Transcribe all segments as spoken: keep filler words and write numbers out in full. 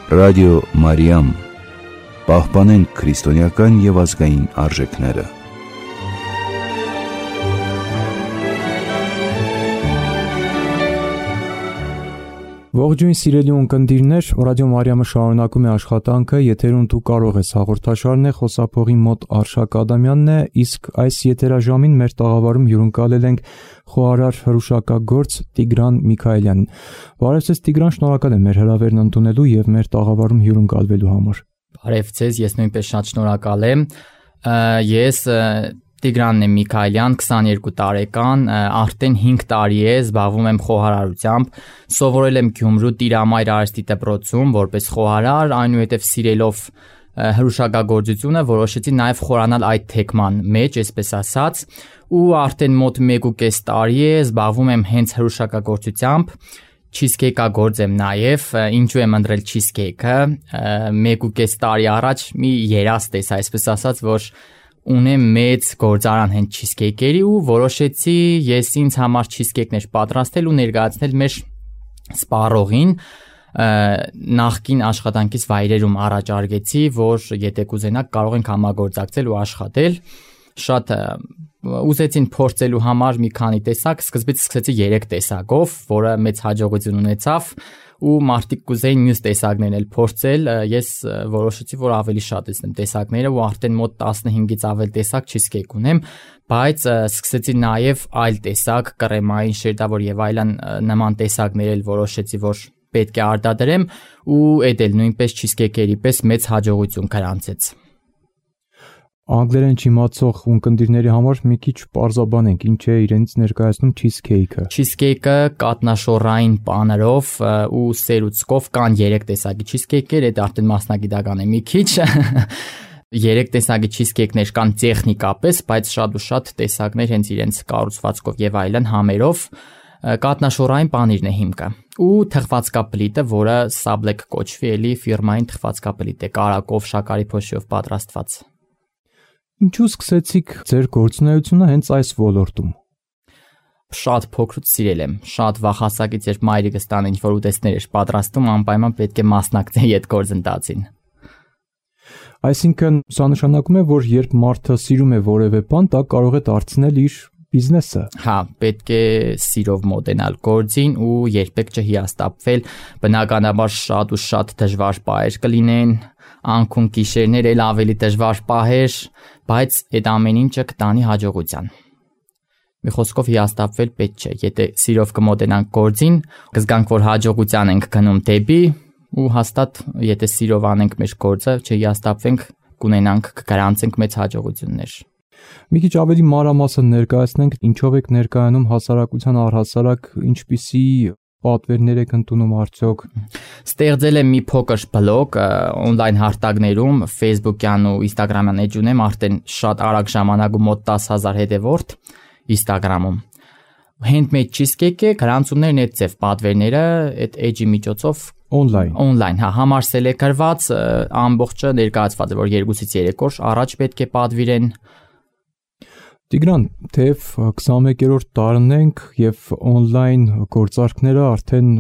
Ռադիո Մարիամ, պահպանենք քրիստոնեական և ազգային արժեքները։ Ողջույն սիրելի ունկնդիրներ, Ռադիո Մարիամը շարունակում է աշխատանքը, եթերում դու կարող ես հաղորդաշարն է, խոսափողի մոտ Արշակ Ադամյանն է, իսկ այս եթերաժամին մեր տաղավարում հյուրընկալել ենք խոհարար հրուշակագործ Տիգրան Միքայելյանին։ Բարև ձեզ Տիգրան, շնորհակալ եմ մեր հրավերն ընդունելու և մեր տաղավարում հյուրընկալվելու համար։ Բարև ձեզ, ես նույնպես շատ շնորհակալ եմ։ Ես Տիգրանն եմ Միքայելյան, քսաներկու տարեկան, արդեն հինգ տարի է զբաղվում եմ խոհարարությամբ, սովորել եմ Գյումրու Տիրամայր արհեստի դպրոցում որպես խոհարար, այնուհետև սիրելով հրուշակագործությունը որոշեցի նաև խորանալ այդ թեքման մեջ, այսպես ասած, ու արդեն մոտ մեկ ու կես տարի է զբաղվում եմ հենց հրուշակագործությամբ, չիզքեյքագործ եմ նաև, ինչու եմ ընտրել չիզքեյքը, մեկ ու կես տարի առաջ մի երաստ էս, այսպես ասած, որ ունեմ մեծ գործարան հենց չիզքեյքերի ու որոշեցի ես ինձ համար չիզքեյքներ պատրաստել ու ներկայացնել մեր սպառողին, նախկին աշխատանքից վայրերում առաջարկեցի, որ եթե կուզենաք կարող ենք համագործակցել ու աշխատել, շատ ուզեցին փորձելու համար մի քանի տեսակ, սկզբից սկսեցի երեք տեսակով, որը մեծ հաջողություն ունեցավ ու մարդիկ կուզեին մյուս տեսակներն էլ փորձել, ես որոշեցի, որ ավելի շատեցնեմ տեսակները ու արդեն մոտ տասնհինգից ավել տեսակ չիզքեյք ունեմ, բայց սկսեցի նաև այլ տեսակ, կրեմային, շերտավոր եւ այլն նման տեսակներ էլ որոշեցի, որ պետք է արտադրեմ ու այդ էլ նույնպես չիզքեյքերի պես մեծ հաջողություն գրանցեց։ Անգլերեն չիմացող ունկնդիրների համար մի քիչ պարզաբանենք, ինչ է իրենց ներկայացնում չիզքեյքը։ Չիզքեյքը կատնաշոռային պանրով ու սերուցքով կան երեք տեսակի չիզքեյքեր, այդ արդեն մասնագիտական է մի քիչ։ Երեք տեսակի չիզքեյքներ կան տեխնիկապես, բայց շատ ու շատ տեսակներ հենց իրենց կառուցվածքով եւ այլն համերով կատնաշոռային պանիրն է հիմքը։ Ու թխվածքապլիտը, որը Սաբլեկ կոչվի, էլի ֆիրմային թխվածքապլիտ է, կարակով, շաքարի փոշիով պատրաստված։ Ինչու սկսեցիք ձեր գործունեությունը հենց այս ոլորտում։ Շատ փոքրուց սիրել եմ, շատ վաղ հասակից, երբ մայրիկս տան ինչ-որ ուտեստներ էր պատրաստում, անպայման պետք է մասնակցեի այդ գործընթացին։ Այսինքն, սա նշանակում է, որ երբ մարդը սիրում է որևէ բան, դա կարող է դարձնել իր բիզնեսը։ Հա, պետք է սիրով մոտենալ գործին ու երբեք չհիասթափվել, բնականաբար շատ ու շատ դժվար պահեր կլինեն, անքուն գիշերներ էլ ավելի դժվար պահեր, բայց այդ ամեն ինչը կտանի հաջողության։ Մի խոսքով հիասթափվել պետք չէ, եթե սիրով կմոտենանք գործին, կզգանք, որ հաջողության ենք գնում դեպի ու հաստատ եթե սիրով անենք մեր գործը, չհիասթափվենք, կունենանք, կգրանցենք մեծ հաջողություններ։ Մի քիչ ավելի մանրամասն ներկայացնենք, ինչով եք ներկայանում հասարակության առհասարակ, ինչպիսի պատվերներ եք ընդունում արդյոք։ Ստեղծել եմ մի փոքր բլոգ on-line հարթակներում, Facebook-յան ու Instagram-յան էջ ունեմ, արդեն շատ արագ ժամանակում մոտ տասը հազար հետևորդ Instagram-ում։ Handmade cheesecake-ը, գրանցումներն այդ ձև պատվերները այդ էջի միջոցով on-line on-line, հա, համարսել է գրված, ամբողջը ներկայացված է, որ երկուսից երեք օր առաջ պետք է պատվիրեն։ Տիգրան, թեև քսանմեկերորդ տարին ենք և on-line գործարքները արդեն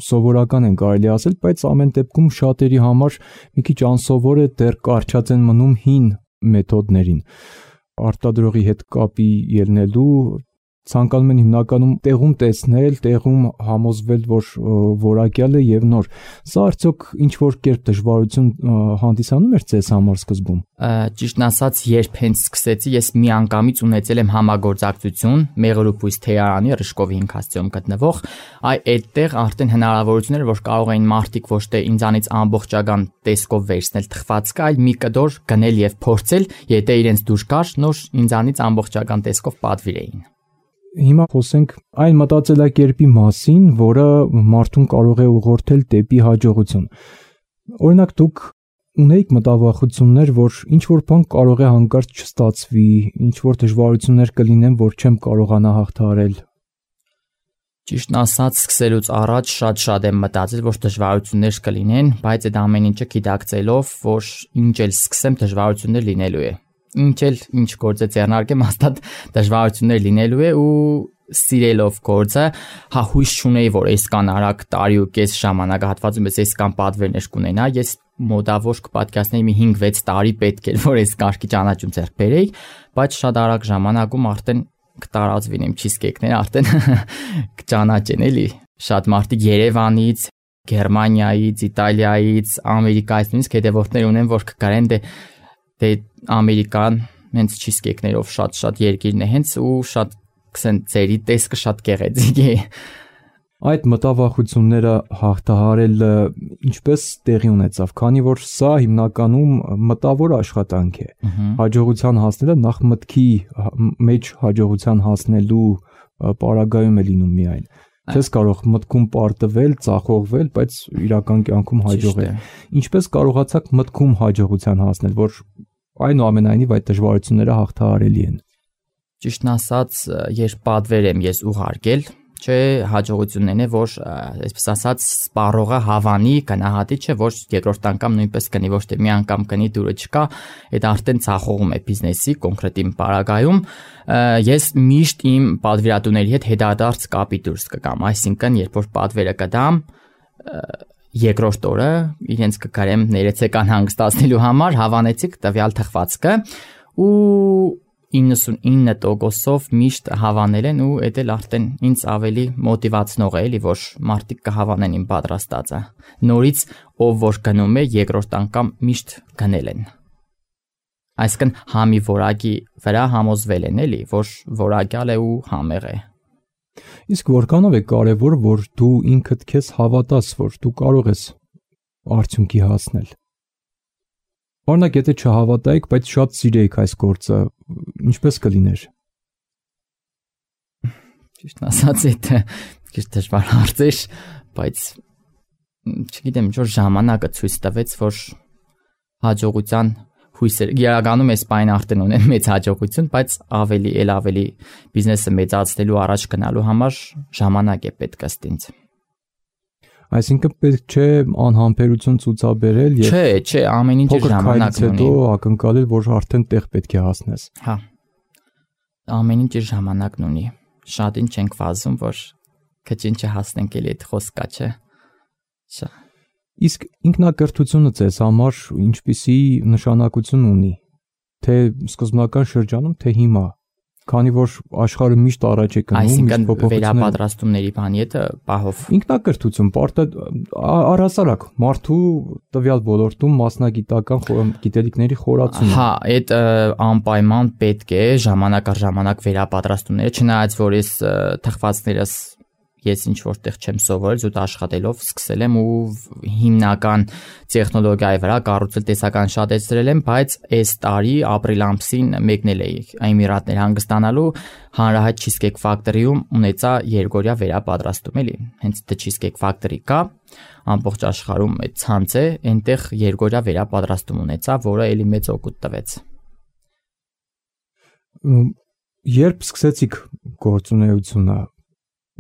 սովորական են կարելի ասել, բայց ամեն դեպքում շատերի համար մի քիչ անսովոր է, դեռ կառչած են մնում հին մեթոդներին։ Արտադրողի հետ կապի ելնելու ցանկանում են հիմնականում տեղում տեսնել, տեղում համոզվել, որ որակյալ է եւ նոր։ Սա արդյոք ինչ որ կերպ դժվարություն հանդիսանում էր ձեզ համար սկզբում։ Ճիշտն ասած, երբ հենց սկսեցի, ես մի անգամից ունեցել եմ համագործակցություն Մեղրուպույս թեյարանի Ռշկովի ինքաստիոնում գտնվող, այ այդտեղ արդեն հնարավորություն էր, որ կարող էին մարդիկ ոչ թե ինձանից ամբողջական տեսքով վերցնել թխվածքը, այլ մի կդոր գնել եւ փորձել, եթե իրենց դուր գար, նոր ինձանից ամբողջական տեսքով պատվիրեին։ Հիմա խոսենք այն մտածելակերպի մասին, որը մարդուն կարող է ուղղորդել դեպի հաջողություն։ Օրինակ դուք ունեիք մտավախություններ, որ ինչ որ բան կարող է հանկարծ չստացվի, ինչ որ դժվարություններ կլինեն, որ չեմ կարողանա հաղթահարել։ Ճիշտն ասած, սկսելուց առաջ շատ-շատ եմ մտածել, որ դժվարություններ կլինեն, բայց այդ ամեն ինչը գիտակցելով, որ ինչ էլ սկսեմ, դժվարություններ լինելու է։ ինչ էլ ինչ գործը ձեռնարկեմ, հաստատ դժվարություններ լինելու է ու սիրելով գործը, հա հույս չունեի, որ այսքան արագ տարի ու կես ժամանակահատվածում ես այսքան պատվերներ կունենա, ես մոտավոր կպատկասնեի մի հինգ-վեց տարի պետք էր, որ այս կարգի ճանաչում ձեռք բերեի, բայց շատ արագ ժամանակում արդեն կտարածվին իմ չիզկեյքները, արդեն կճանաչեն էլի, շատ մարդիկ Երևանից, Գերմանիայից, Իտալիայից, Ամերիկայից նույնիսկ հետևորդներ ունեն, որ կգարեն դե դե Ամերիկան հենց չիզկեյքներով շատ-շատ երկիրն է հենց ու շատ կսեն ծերի տեսքը շատ գեղեցիկ է։ Այդ մտավախությունները հաղթահարելը ինչպես տեղի ունեցավ, քանի որ սա հիմնականում մտավոր աշխատանք է։ Հաջողության հասնելը նախ մտքի մեջ հաջողության հասնելու պարագայում է լինում միայն։ Չես կարող մտքում պարտվել, ծախողվել, բայց իրական կյանքում հաջողել։ Ինչպես կարողացաք մտքում հաջողության հասնել, որ այնուամենայնիվ այդ դժվարությունները հաղթահարելի են։ Ճիշտն ասած, երբ պատվեր եմ ես ուղարկել, չէ, հաջողությունն է, որ այսպես ասած սպառողը հավանի, գնահատի, չէ, որ երկրորդ անգամ նույնպես կնի, ոչ թե մի անգամ կնի դուրը չկա, այդ արդեն ցախողում է բիզնեսի կոնկրետ իմ պարագայում, ես միշտ իմ պատվիրատուների հետ հետադարձ կապի դուրս կգամ, այսինքն երբ որ պատվերը կդամ, երկրորդ օրը իրենց կգարեմ ներեցեկան հանգստացնելու համար հավանեցիք տվյալ թխվածքը ու իննսունինը տոկոսով միշտ հավանել են ու այդ էլ արդեն ինձ ավելի մոտիվացնող է, էլի որ մարդիկ կհավանեն իմ պատրաստածը։ Նորից ով որ գնում է երկրորդ անգամ միշտ գնել են։ Այսինքն համի որակի վրա համոզվել են, էլի որ որակյալ է ու համեղ է։ Իսկ որքանով է կարևոր, որ դու ինքդ քեզ հավատաս, որ դու կարող ես արդյունքի հասնել։ Օրինակ, եթե չհավատայիք, բայց շատ սիրեիք այս գործը, ինչպես կլիներ։ Ճիշտ ասած, դա քիչ դժվար հարց էր, բայց չգիտեմ, ինչ որ ժամանակը ցույց տվեց, որ հաջողության հույսեր իրականում այս բանը արդեն ունեն մեծ հաջողություն, բայց ավելի ել ավելի բիզնեսը մեծացնելու առաջ գնալու համար ժամանակ է պետք ըստ ինձ։ Այսինքն պետք չէ անհամբերություն ցուցաբերել եւ Չէ, չէ, ամեն ինչ ժամանակ ունի։ Հետո ակնկալել, որ արդեն տեղ պետք է հասնես։ Հա։ Ամեն ինչ ժամանակն ունի։ Շատ ինչ ենք վազում, որ քչին չհասնենք էլի այդ խոսքա, չէ։ Շա։ Իսկ ինքնակրթությունը ձեզ համար ինչպիսի նշանակություն ունի, թե սկզբնական շրջանում, թե հիմա։ Քանի որ աշխարհը միշտ առաջ է գնում, այսինքն վերապատրաստումների բանի հետը պահով ինքնակրթություն, պարտը առհասարակ մարդու տվյալ ոլորտում մասնագիտական գիտելիքների խորացումը։ Հա, այդ անպայման պետք է ժամանակ առ ժամանակ վերապատրաստումները, չնայած որ ես թխվածներս ես ինչ որտեղ չեմ սովորել, զուտ աշխատելով սկսել եմ ու հիմնական տեխնոլոգիայի վրա կառուցել տեսական շատեցրել եմ, բայց այս տարի ապրիլ ամսին մեկնել էի Էմիրատներ հանգստանալու հանրահայտ Cheesecake Factory-ում ունեցա երկօրյա վերապատրաստում էլի։ Հենց The Cheesecake Factory կա, ամբողջ աշխարհում այդ ցանց է, այնտեղ երկօրյա վերապատրաստում ունեցա, որը էլի մեծ օգուտ տվեց։ Երբ սկսեցիք գործունեությունը,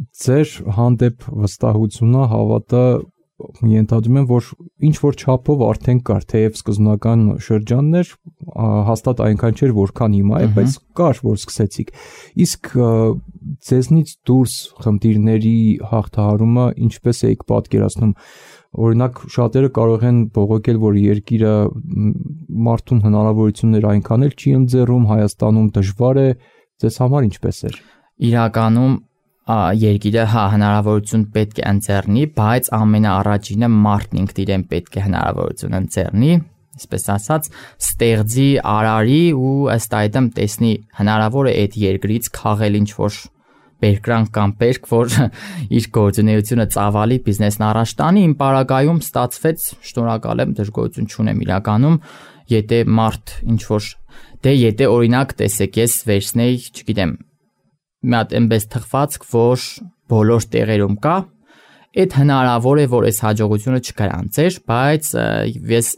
ձեր հանդեպ վստահությունը, հավատը ենթադրում եմ, որ ինչ որ չափով արդեն կար, թեև սկզբնական շրջաններ հաստատ այնքան չէր, որքան հիմա է, բայց կար, որ սկսեցիք։ Իսկ ձեզնից դուրս խնդիրների հաղթահարումը ինչպես էիք պատկերացնում։ Օրինակ, շատերը կարող են բողոքել, որ երկիրը մարդուն հնարավորություններ այնքան էլ չի ընձեռում, Հայաստանում դժվար է, ձեզ համար ինչպես էր։ Իրականում երկիրը հա հնարավորություն պետք է ընձեռնի, բայց ամենաառաջինը մարդն ինքն իրեն պետք է հնարավորություն ընձեռնի, այսպես ասած, ստեղծի, արարի ու ըստ այդմ տեսնի հնարավոր է այդ երկրից քաղել ինչ որ բերկրանք կամ բերք, որ իր գործունեությունը ծավալի, բիզնեսն առաջ տանի, իմ պարագայում ստացվեց, շնորհակալ եմ, դժգոհություն չունեմ իրականում, եթե մարդ ինչ որ դե եթե օրինակ տեսեք, ես վերցնեի, չգիտեմ, մի հատ այնպես թխվածք, որ բոլոր տեղերում կա, այդ հնարավոր է, որ այս հաջողությունը չգրանցեր, բայց ես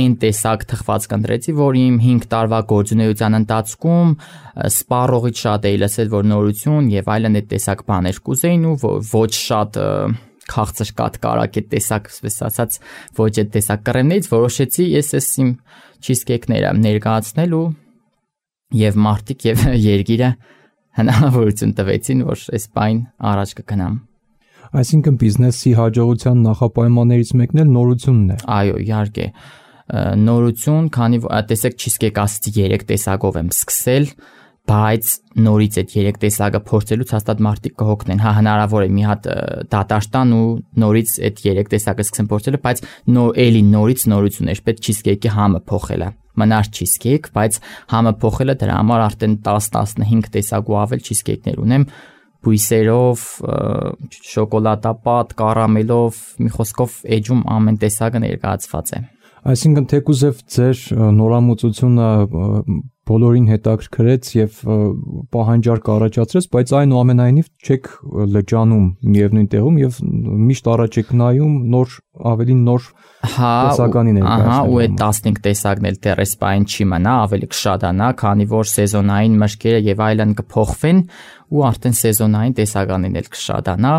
այն տեսակ թխվածք ընտրեցի, որ իմ հինգ տարվա գործունեության ընթացքում սպառողից շատ էի լսել, որ նորություն եւ այլն այդ տեսակ բաներ կուզեին ու ոչ շատ քաղցր կատ կարակ այդ տեսակ, ասես ասած, ոչ այդ տեսակ կռեմներից որոշեցի ես էս իմ cheesecake-ները ներկայացնել ու եւ մարդիկ եւ երկիրը հնարավորություն տվեցին, որ այս բան առաջ կգնամ։ Այսինքն բիզնեսի հաջողության նախապայմաններից մեկն էլ նորությունն է։ Այո, իհարկե։ Նորություն, քանի որ տեսեք cheesecake ասացի երեք տեսակով եմ սկսել, բայց նորից այդ երեք տեսակը փորձելուց հաստատ մարդիկ կհոգնեն։ Հա, հնարավոր է մի հատ դատարկ տան ու նորից այդ երեք տեսակը սկսեն փորձելը, բայց նոր էլի նորից նորություն է, պետք cheesecake-ի համը փոխելը։ Մնար cheesecake, բայց համը փոխելը դրա համար արդեն տասը տասնհինգ տեսակ ու ավել cheesecake-ներ ունեմ, բույսերով, շոկոլադապատ, կարամելով, մի խոսքով էջում ամեն տեսակը ներկայացված է։ Այսինքն թեկուզև ձեր նորամուծությունը բոլորին հետաքրքրեց եւ պահանջարկ առաջացրեց, բայց այնուամենայնիվ չեք լճանում միևնույն տեղում եւ միշտ առաջ եք նայում նոր ավելի նոր տեսականի ներկայացնել։ Ահա, ու այդ տասնհինգ տեսակն էլ դեռ էս բան չի մնա, ավելի կշատանա, քանի որ սեզոնային մշկերը եւ այլն կփոխվեն ու արդեն սեզոնային տեսականին էլ կշատանա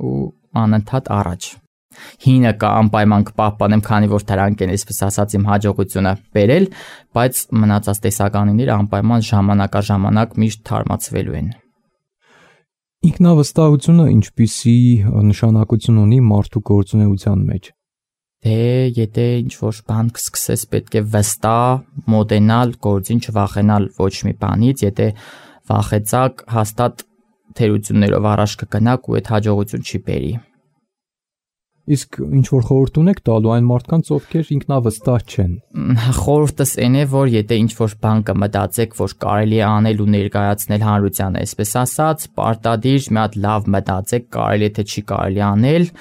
ու անընդհատ առաջ։ Հինը կա անպայման կպահպանեմ, քանի որ դրանք են, այսպես ասած, իմ հաջողությունը բերել, բայց մնացած տեսականիները անպայման ժամանակաժամանակ միշտ թարմացվելու են։ Ինքնավստահությունը ինչպիսի նշանակություն ունի մարդու գործունեության մեջ։ Դե եթե ինչ-որ բան կսկսես, պետք է վստահ մոտենալ, գործին չվախենալ ոչ մի բանից, եթե վախեցաք, հաստատ թերություններով առաջ կգնաք ու այդ հաջողություն չի բերի։ Իսկ ինչ որ խորհուրդ ունեք տալու այն մարդկանց, ովքեր ինքնավստահ չեն։ Խորհուրդս այն է, որ եթե ինչ որ բան կմտածեք, որ կարելի է անել ու ներկայացնել հանրությանը, այսպես ասած, պարտադիր մի հատ լավ մտածեք, կարելի է թե չի կարելի անել,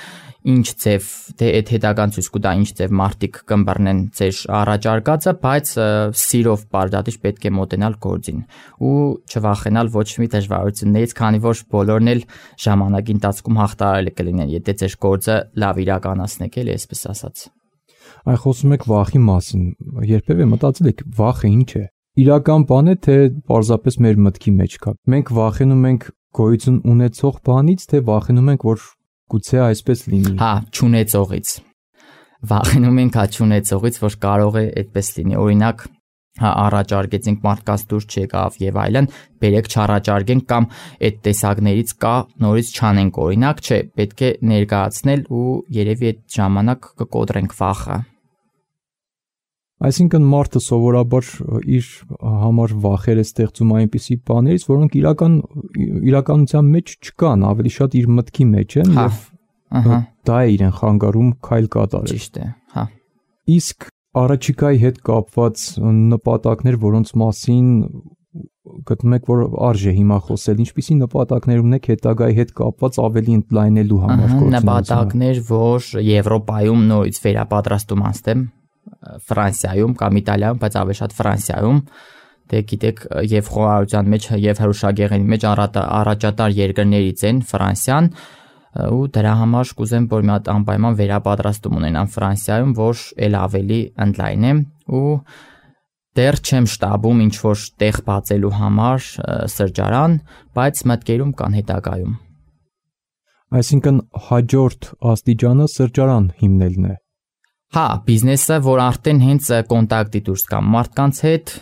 ինչ ձև, թե այդ հետագան ցույց կտա ինչ ձև մարդիկ կըմբռնեն ձեր առաջարկածը, բայց սիրով պարտադիր պետք է մոտենալ գործին ու չվախենալ ոչ մի դժվարություններից, քանի որ բոլորն էլ ժամանակի ընթացքում հաղթահարելի կլինեն, եթե ձեր գործը լավ իրականացնեք, էլի այսպես ասած։ Այ խոսում եք վախի մասին, երբևէ մտածել եք վախը ինչ է։ Իրական բան է, թե պարզապես մեր մտքի մեջ կա։ Մենք վախենում ենք գոյություն ունեցող բանից, թե վախենում ենք, որ գուցե այսպես լինի։ Հա, չունեցողից։ Վախենում ենք հա չունեցողից, որ կարող է այդպես լինի։ Օրինակ, հա առաջարկեցինք մարդկանց դուրս չեկավ եւ այլն, բերեք չառաջարկենք կամ այդ տեսակներից կա նորից չանենք, օրինակ, չէ, պետք է ներկայացնել ու երևի այդ ժամանակ կկոտրենք վախը։ Այսինքն մարդը սովորաբար իր համար վախեր է ստեղծում այնպիսի բաներից, որոնք իրական իրականության մեջ չկան, ավելի շատ իր մտքի մեջ են եւ դա է իրեն խանգարում քայլ կատարել։ Ճիշտ է, հա։ Իսկ առաջիկայի հետ կապված նպատակներ, որոնց մասին գտնում եք, որ արժե հիմա խոսել, ինչպիսի նպատակներ ունեք հետագայի հետ կապված ավելի ընդլայնելու համար գործունեությունը։ Նպատակներ, որ Եվրոպայում նորից վերապատրաստում անցնեմ, Ֆրանսիայում կամ Իտալիայում, բայց ավելի շատ Ֆրանսիայում, դե գիտեք, եւ խոհարարության մեջ եւ հրուշագեղերի մեջ առաջատար երկրներից են Ֆրանսիան, ու դրա համար կուզեմ, որ մի հատ անպայման վերապատրաստում ունենամ Ֆրանսիայում, որ ել ավելի ընդլայնեմ ու դեռ չեմ շտաբում ինչ որ տեղ բացելու համար սրճարան, բայց մտքերում կան հետագայում։ Այսինքն հաջորդ աստիճանը սրճարան հիմնելն է։ Հա, բիզնեսը, որ արդեն հենց կոնտակտի դուրս կա մարդկանց հետ,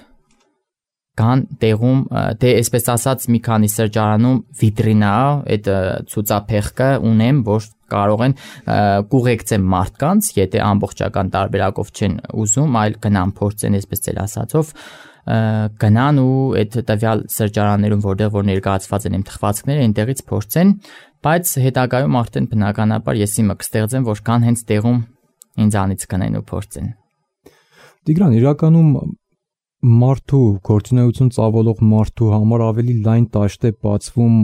կան տեղում, դե այսպես ասած մի քանի սրճարանում վիտրինա, այդ ցուցափեղկը ունեմ, որ կարող են կուղեկցեմ մարդկանց, եթե ամբողջական տարբերակով չեն ուզում, այլ գնան փորձեն, այսպես էլ ասածով, գնան ու այդ տվյալ սրճարաններում, որտեղ որ ներկայացված են իմ թխվածքները, այնտեղից փորձեն, բայց հետագայում արդեն բնականաբար ես իմը կստեղծեմ, որ կան հենց տեղում ինձանից կնեն ու փորձեն։ Տիգրան, իրականում մարդու գործունեություն ծավալող մարդու համար ավելի լայն տաշտ է բացվում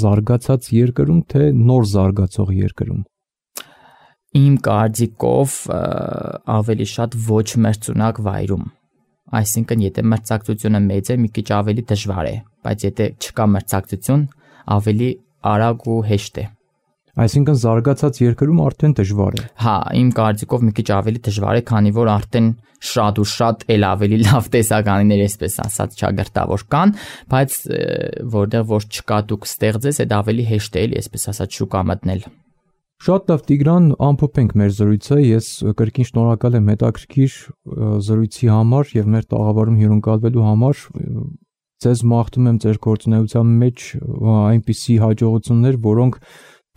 զարգացած երկրում, թե նոր զարգացող երկրում։ Իմ կարծիքով ավելի շատ ոչ մրցունակ վայրում։ Այսինքն, եթե մրցակցությունը մեծ է, մի քիչ ավելի դժվար է, բայց եթե չկա մրցակցություն, ավելի արագ ու հեշտ է։ Այսինքն զարգացած երկրում արդեն դժվար է։ Հա, իմ կարծիքով մի քիչ ավելի դժվար է, քանի որ արդեն շատ ու շատ էլ ավելի լավ տեսականիներ, այսպես ասած, ճակերտավոր կան, բայց որտեղ որ չկա դուք ստեղծես, այդ ավելի հեշտ է, էլի, այսպես ասած, շուկա մտնել։ Շատ լավ Տիգրան, ամփոփենք մեր զրույցը։ Ես կրկին շնորհակալ եմ հետաքրքիր զրույցի համար եւ մեր տաղավարում հյուրընկալվելու համար։ Ձեզ մաղթում եմ ձեր գործունեության մեջ այնպիսի հաջողություններ, որոնք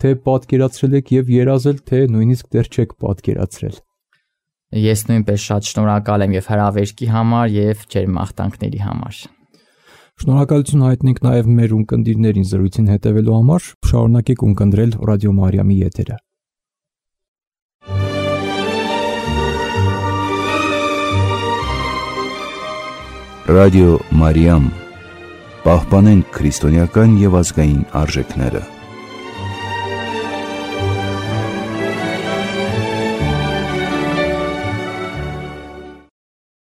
թե պատկերացրել եք եւ երազել, թե նույնիսկ դեռ չեք պատկերացրել։ Ես նույնպես շատ շնորհակալ եմ եւ հրավերքի համար եւ ձեր մաղթանքների համար։ Շնորհակալություն հայտնենք նաև մեր ունկնդիրներին զրույցին հետևելու համար։ Շարունակեք ունկնդրել Ռադիո Մարիամի եթերը։ Ռադիո Մարիամ, պահպանենք քրիստոնեական եւ ազգային արժեքները։